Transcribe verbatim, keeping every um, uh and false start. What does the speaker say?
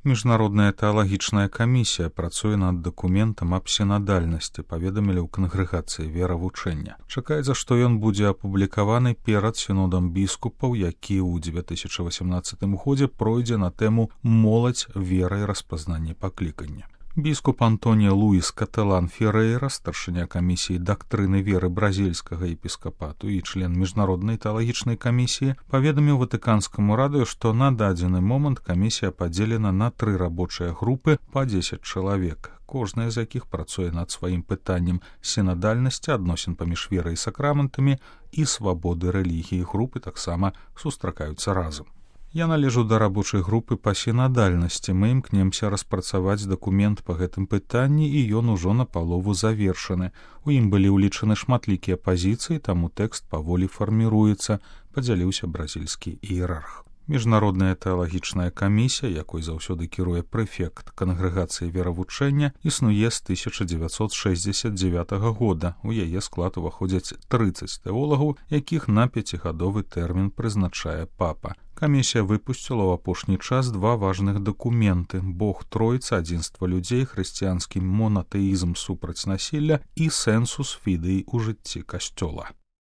Міжнародная тэалагічная камісія працуе над дакументам аб сінадальнасці, паведамілі ў кангрэгацыі веравучэння. Чакаецца, што ён будзе апублікаваны перад сінодам біскупаў, які ў дзве тысячы васямнаццатым годзе пройдзе на тэму «Моладзь, вера і распазнанне паклікання». Біскуп Антоніо Луіс Катэлан Ферейра, старшыня камісіі дактрыны веры бразільскага епіскапату і член міжнароднай тэалагічнай камісіі, паведаміў Ватыканскаму радыё, што на дадзены момант камісія падзелена на тры рабочыя групы па дзесяць чалавек, кожная з якіх працуе над сваім пытаннем сінадальнасці, адносін паміж верай і сакраментамі і свабоды рэлігіі. Групы таксама сустракаюцца разам. Я належу да рабочай групы па сінадальнасці. Мы імкнемся распрацаваць дакумент па гэтым пытанні, і ён ужо напалову завершаны. У ім былі ўлічаны шматлікія пазіцыі, таму тэкст паволі фарміруецца, падзяліўся бразільскі іерарх. Міжнародная тэалагічная камісія, якой заўсёды кіруе прэфект кангрэгацыі веравучэння, існуе з тысяча дзевяцьсот шэсцьдзесят дзевятага года. У яе склад уваходзяць трыццаць тэолагаў, якіх на пяцігадовы тэрмін прызначае папа. Камісія выпусціла ў апошні час два важных дакументы: «Бог Тройца, адзінства людзей, хрысціянскі монатэізм супраць насілля» і «Сенсус фідэй у жыцці касцёла».